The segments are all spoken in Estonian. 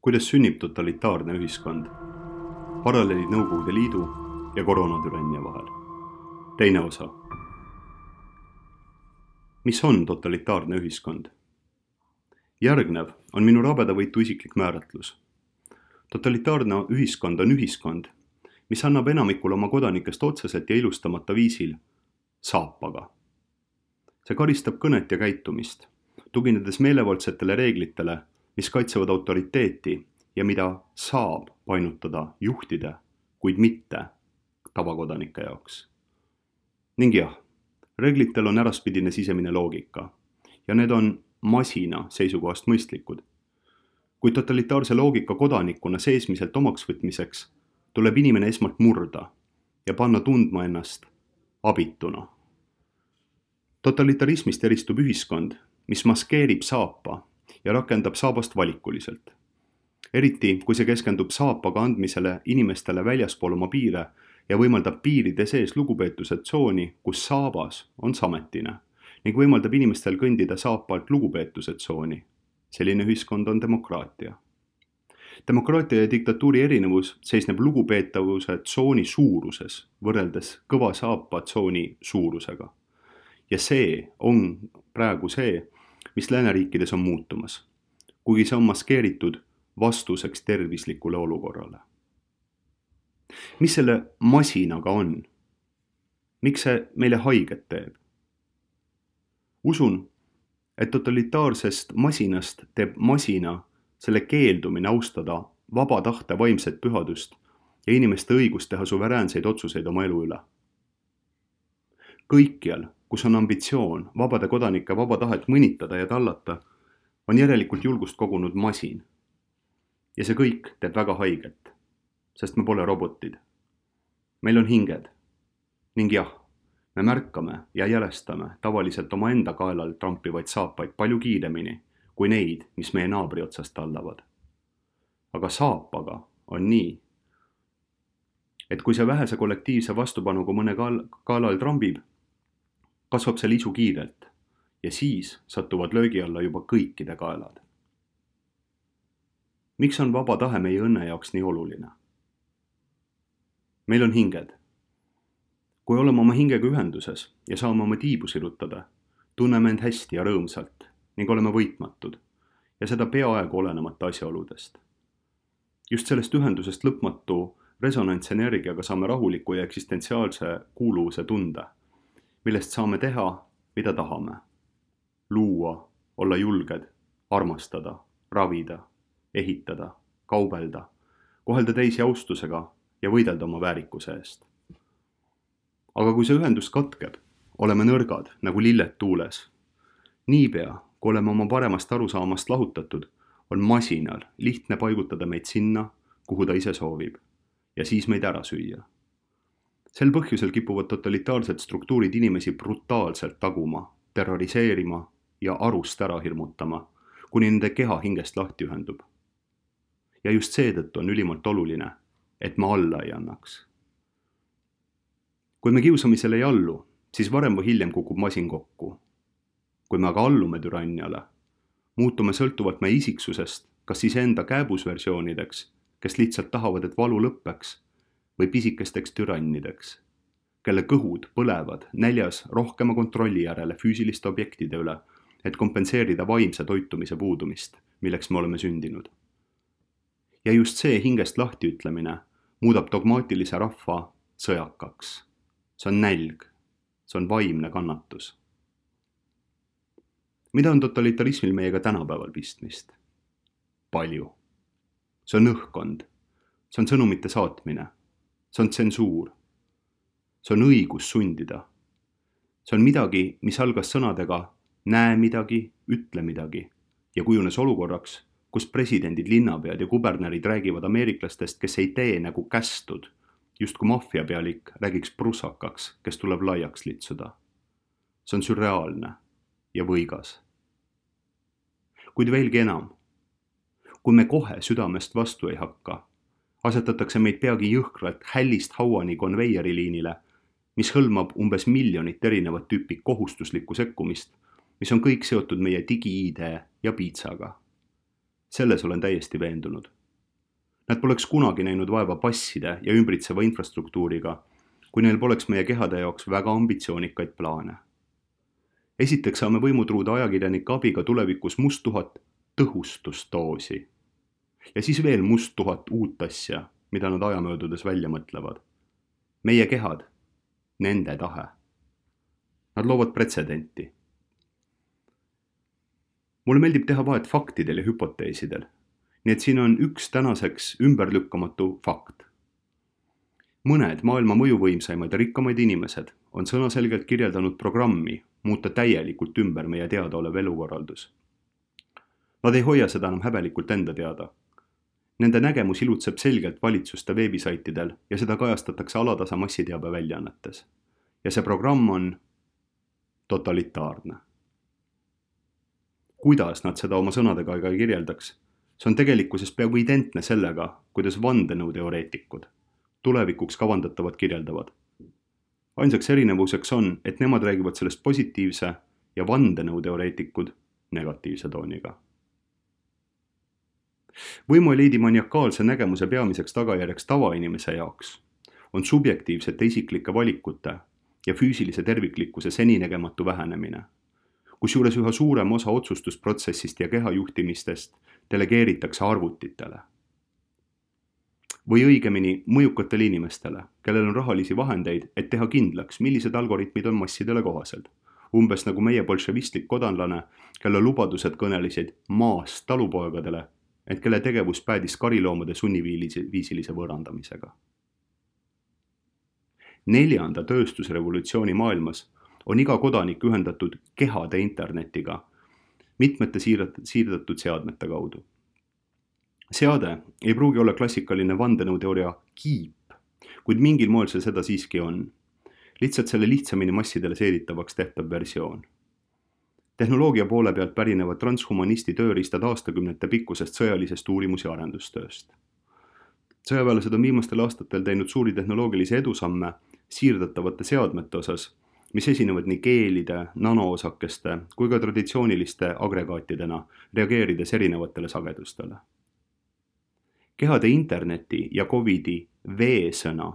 Kuidas sünnib totalitaarne ühiskond? Paralleelid Nõukogude Liidu ja koroonatürannia vahel. Teine osa. Mis on totalitaarne ühiskond? Järgnev on minu rabedavõitu isiklik määratlus. Totalitaarne ühiskond on ühiskond, mis annab enamikule oma kodanikest otseselt ja ilustamata viisil saapaga. See karistab kõnet ja käitumist, tuginedes meelevaldsetele reeglitele, mis kaitsevad autoriteeti ja mida saab painutada juhtide, kuid mitte tavakodanike jaoks. Ning jah, reeglitel on äraspidine sisemine loogika ja need on masina seisukohast mõistlikud. Kuid totalitaarse loogika kodanikuna seesmiselt omaks võtmiseks tuleb inimene esmalt murda ja panna tundma ennast abituna. Totalitarismist eristub ühiskond, mis maskeerib saapa ja rakendab saabast valikuliselt. Eriti, kui see keskendub saapaga andmisele inimestele väljaspool oma piire ja võimaldab piiride sees lugupeetuse tsooni, kus saabas on sametine ning võimaldab inimestel kõndida saapalt lugupeetuse tsooni. Selline ühiskond on demokraatia. Demokraatia ja diktatuuri erinevus seisneb lugupeetavuse tsooni suuruses võrreldes kõva saapa tsooni suurusega. Ja see on praegu see, mis lääneriikides on muutumas, kuigi see on maskeeritud vastuseks tervislikule olukorrale. Mis selle masinaga on? Miks see meile haiget teeb? Usun, et totalitaarsest masinast teeb masina selle keeldumine austada vaba tahte vaimset pühadust ja inimeste õigust teha suveräänseid otsuseid oma elu üle. Kõikjal, kus on ambitsioon vabade kodanike vaba tahet mõnitada ja tallata, on järelikult julgust kogunud masin. Ja see kõik teeb väga haiget, sest me pole robotid. Meil on hinged. Ning jah, me märkame ja jälestame tavaliselt oma enda kaelal trampivaid saapaid palju kiiremini kui neid, mis meie naabri otsast tallavad. Aga saapaga on nii, et kui see vähese kollektiivse vastupanuga mõne kaelal trambib, kasvab see lisu kiirelt ja siis satuvad löögi alla juba kõikide kaelad. Miks on vaba tahe meie õnne jaoks nii oluline? Meil on hinged. Kui oleme oma hingega ühenduses ja saame oma tiibu sirutada, tunneme end hästi ja rõõmsalt ning oleme võitmatud ja seda peaaegu olenemata asjaoludest. Just sellest ühendusest lõpmatu resonantsenergiaga saame rahuliku ja eksistentsiaalse kuuluvuse tunde, millest saame teha, mida tahame. Luua, olla julged, armastada, ravida, ehitada, kaubelda, kohelda teisi austusega ja võidelda oma väärikuse eest. Aga kui see ühendus katkeb, oleme nõrgad nagu lilled tuules. Niipea, kui oleme oma paremast arusaamast lahutatud, on masinal lihtne paigutada meid sinna, kuhu ta ise soovib, ja siis meid ära süüa. Sel põhjusel kipuvad totalitaarsed struktuurid inimesi brutaalselt taguma, terroriseerima ja arust ära hirmutama, kuni nende keha hingest lahti ühendub. Ja just seetõttu on ülimalt oluline, et me alla ei annaks. Kui me kiusamisele ei allu, siis varem või hiljem kukub masin kokku. Kui me aga allume türanniale, muutume sõltuvalt meie isiksusest, kas siis enda kääbusversioonideks, kes lihtsalt tahavad, et valu lõppeks, või pisikesteks türannideks, kelle kõhud põlevad näljas rohkema kontrolli järele füüsiliste objektide üle, et kompenseerida vaimse toitumise puudumist, milleks me oleme sündinud. Ja just see hingest lahtiütlemine muudab dogmaatilise rahva sõjakaks. See on nälg, see on vaimne kannatus. Mida on totalitarismil meiega tänapäeval pistmist? Palju. See on õhkkond, see on sõnumite saatmine. See on tsensuur. See on õigus sundida. See on midagi, mis algas sõnadega näe midagi, ütle midagi ja kujunes olukorraks, kus presidendid, linnapead ja kubernerid räägivad ameeriklastest, kes ei tee nagu kästud, just kui maffiapealik räägiks prussakaks, kes tuleb laiaks litsuda. See on sürreaalne ja võigas. Kuid veelgi enam, kui me kohe südamest vastu ei hakka, asetatakse meid peagi jõhkralt hällist hauani konveieriliinile, mis hõlmab umbes 1 miljonit erinevat tüüpi kohustuslikku sekkumist, mis on kõik seotud meie digi-ID ja piitsaga. Selles olen täiesti veendunud. Nad poleks kunagi näinud vaeva passide ja ümbritseva infrastruktuuriga, kui neil poleks meie kehade jaoks väga ambitsioonikaid plaane. Esiteks saame võimutruuda ajakirjanike abiga tulevikus must 1000 tõhustusdoosi. Ja siis veel must 1000 uut asja, mida nad ajamöödudes välja mõtlevad. Meie kehad, nende tahe. Nad loovad pretsedenti. Mulle meeldib teha vahet faktidel ja hüpoteesidel, nii et siin on üks tänaseks ümberlükkamatu fakt. Mõned maailma mõjuvõimsaimad ja rikkamaid inimesed on sõnaselgelt kirjeldanud programmi muuta täielikult ümber meie teadaolev elukorraldus. Nad ei hoia seda enam häbelikult enda teada. Nende nägemus ilutseb selgelt valitsuste veebisaitidel ja seda kajastatakse alatasa massiteabe väljaannetes. Ja see programm on totalitaarne. Kuidas nad seda oma sõnadega ei kirjeldaks, see on tegelikkuses peaaegu identne sellega, kuidas vandenõuteoreetikud tulevikuks kavandatavad kirjeldavad. Ainsaks erinevuseks on, et nemad räägivad sellest positiivse ja vandenõuteoreetikud negatiivse tooniga. Võimueliidi maniakaalse nägemuse peamiseks tagajärjeks tavainimese jaoks on subjektiivsete isiklike valikute ja füüsilise terviklikkuse seninägematu vähenemine, kusjuures üha suurem osa otsustusprotsessist ja kehajuhtimistest delegeeritakse arvutitele. Või õigemini mõjukatele inimestele, kellel on rahalisi vahendeid, et teha kindlaks, millised algoritmid on massidele kohased. Umbes nagu meie bolševistlik kodanlane, kelle lubadused kõnelisid maast talupoegadele, et kelle tegevus päädis kariloomade sunniviisilise võõrandamisega. 4. tööstusrevolutsiooni maailmas on iga kodanik ühendatud kehade internetiga mitmete siirdatud seadmete kaudu. Seade ei pruugi olla klassikaline vandenõuteooria kiip, kuid mingil moel see seda siiski on. Lihtsalt selle lihtsamini massidele seeditavaks tehtav versioon. Tehnoloogia poole pealt pärinevad transhumanisti tööriistad aastakümnete pikkusest sõjalisest uurimus- ja arendustööst. Sõjaväelased on viimastel aastatel teinud suuri tehnoloogilisi edusamme siirdatavate seadmete osas, mis esinevad nii keelide, nanoosakeste kui ka traditsiooniliste agregaatidena, reageerides erinevatele sagedustele. Kehade interneti ja Covidi V-sõna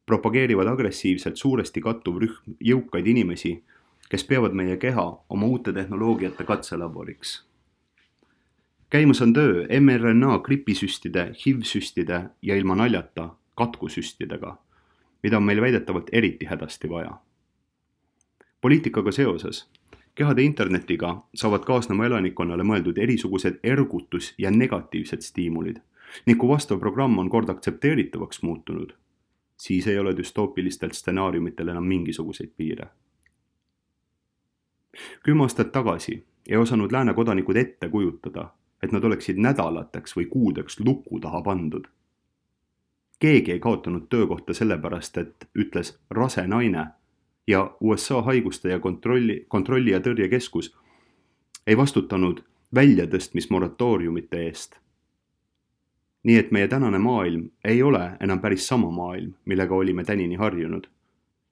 propageerivad agressiivselt suuresti kattuv rühm jõukaid inimesi, kes peavad meie keha oma uute tehnoloogiate katselaboriks. Käimas on töö mRNA gripisüstide, HIV-süstide ja ilma naljata katkusüstidega, mida on meil väidetavalt eriti hädasti vaja. Poliitikaga seoses kehade internetiga saavad kaasnema elanikkonnale mõeldud erisugused ergutus- ja negatiivsed stiimulid, ning kui vastav programm on kord aktsepteeritavaks muutunud, siis ei ole düstoopilistelt stsenaariumitel enam mingisuguseid piire. 10 aastat tagasi ei osanud lääne kodanikud ette kujutada, et nad oleksid nädalateks või kuudeks luku taha pandud. Keegi ei kaotanud töökohta sellepärast, et ütles rase naine ja USA haiguste ja kontrolli ja tõrjekeskus ei vastutanud väljatõstmismoratooriumite eest. Nii et meie tänane maailm ei ole enam päris sama maailm, millega olime tänini harjunud.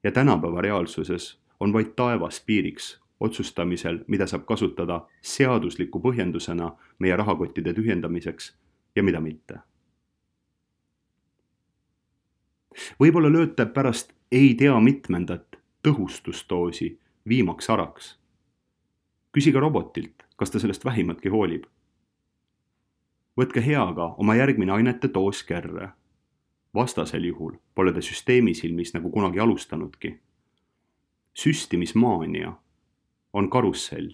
Ja tänapäeva reaalsuses on vaid taevas piiriks otsustamisel, mida saab kasutada seadusliku põhjendusena meie rahakottide tühjendamiseks ja mida mitte. Võib-olla lööte pärast ei tea mitmendat tõhustusdoosi viimaks araks. Küsige robotilt, kas ta sellest vähimatki hoolib. Võtke heaga oma järgmine ainete doos kerre. Vastasel juhul pole te süsteemi silmis nagu kunagi alustanudki. Süstimismaania on karussell,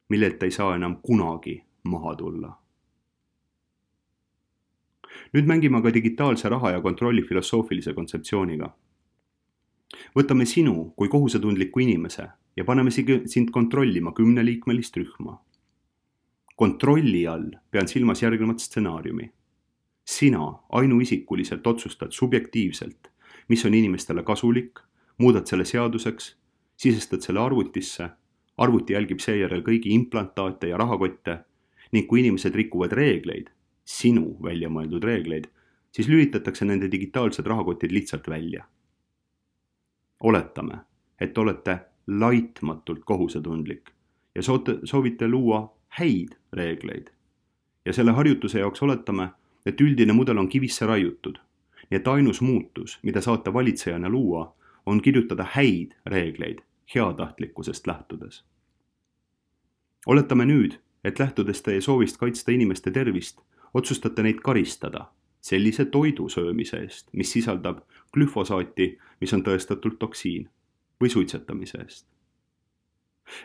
millelt ei saa enam kunagi maha tulla. Nüüd mängime aga digitaalse raha ja kontrolli filosoofilise kontseptsiooniga. Võtame sinu kui kohusetundliku inimese ja paneme sind kontrollima 10-liikmelist rühma. Kontrolli all pean silmas järgnevat stsenaariumi. Sina ainuisikuliselt otsustad subjektiivselt, mis on inimestele kasulik, muudad selle seaduseks, sisestad selle arvutisse, arvuti jälgib seejärel kõigi implantaate ja rahakotte ning kui inimesed rikuvad reegleid, sinu välja mõeldud reegleid, siis lülitatakse nende digitaalsed rahakotid lihtsalt välja. Oletame, et olete laitmatult kohusetundlik ja soovite luua häid reegleid ja selle harjutuse jaoks oletame, et üldine mudel on kivisse raiutud. Nii et ainus muutus, mida saate valitsejana luua, on kirjutada häid reegleid heatahtlikkusest lähtudes. Oletame nüüd, et lähtudes teie soovist kaitsta inimeste tervist, otsustate neid karistada sellise toidu söömise eest, mis sisaldab glüfosaati, mis on tõestatult toksiin, või suitsetamise eest.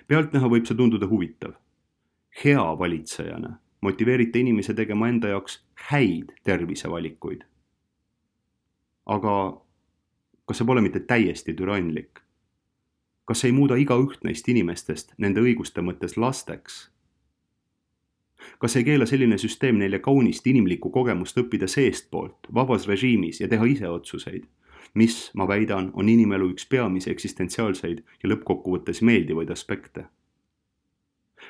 Pealtnäha võib see tunduda huvitav. Hea valitsejana motiveerite inimese tegema enda jaoks häid tervisevalikuid. Aga kas see pole mitte täiesti türannlik? Kas ei muuda igaüht neist inimestest nende õiguste mõttes lasteks? Kas ei keela selline süsteem neile kaunist inimlikku kogemust õppida seestpoolt, vabas režiimis ja teha ise otsuseid, mis, ma väidan, on inimelu üks peamisi eksistentsiaalseid ja lõppkokkuvõttes meeldivaid aspekte?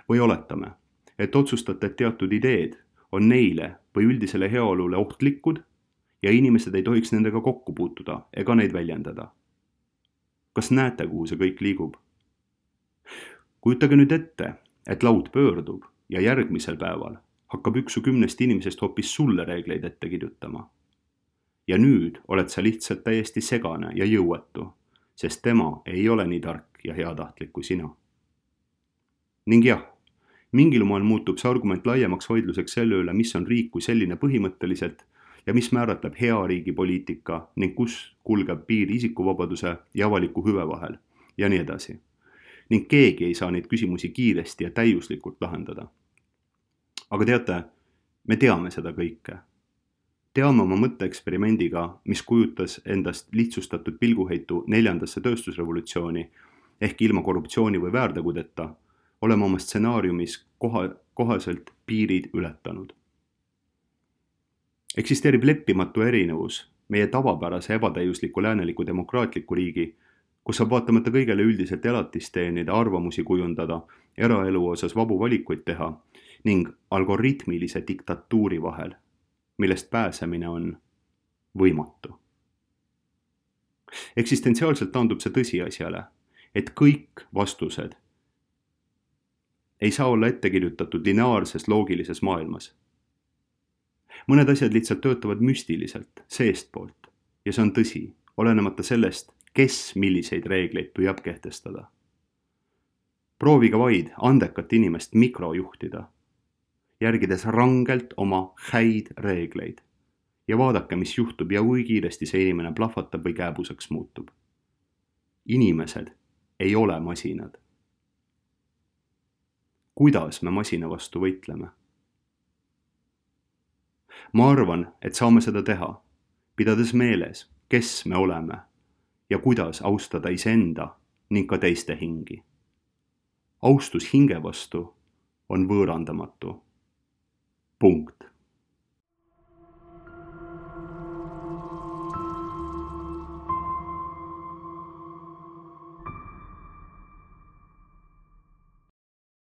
Või oletame, et otsustate, et teatud ideed on neile või üldisele heaolule ohtlikud ja inimesed ei tohiks nendega kokku puutuda ega neid väljendada. Kas näete, kuhu see kõik liigub? Kujutage nüüd ette, et laud pöördub ja järgmisel päeval hakkab 1/10 inimesest hoopis sulle reegleid ette kirjutama. Ja nüüd oled sa lihtsalt täiesti segane ja jõuetu, sest tema ei ole nii tark ja heatahtlik kui sina. Ning jah, mingil moel muutub see argument laiemaks vaidluseks selle üle, mis on riik kui selline põhimõtteliselt ja mis määratleb hea riigi poliitika ning kus kulgeb piir isikuvabaduse ja avaliku hüve vahel ja nii edasi. Ning keegi ei saa neid küsimusi kiiresti ja täiuslikult lahendada. Aga teate, me teame seda kõike. Teame oma mõtteeksperimendiga, mis kujutas endast lihtsustatud pilguheitu 4. tööstusrevolutsiooni ehk ilma korruptsiooni või väärtegudeta, oleme oma stsenaariumis kohaselt piirid ületanud. Eksisteerib leppimatu erinevus meie tavapärase ebatäiusliku lääneliku demokraatliku riigi, kus saab vaatamata kõigele üldiselt elatist teenida, arvamusi kujundada, eraelu osas vabu valikuid teha ning algoritmilise diktatuuri vahel, millest pääsemine on võimatu. Eksistentsiaalselt taandub see tõsiasjale, et kõik vastused ei saa olla ette kirjutatud lineaarses loogilises maailmas. Mõned asjad lihtsalt töötavad müstiliselt, seestpoolt, ja see on tõsi, olenemata sellest, kes milliseid reegleid püüab kehtestada. Proovige vaid andekat inimest mikrojuhtida, järgides rangelt oma häid reegleid ja vaadake, mis juhtub ja kui kiiresti see inimene plahvatab või kääbuseks muutub. Inimesed ei ole masinad. Kuidas me masina vastu võitleme? Ma arvan, et saame seda teha, pidades meeles, kes me oleme ja kuidas austada iseenda ning ka teiste hingi. Austus hinge vastu on võõrandamatu. Punkt.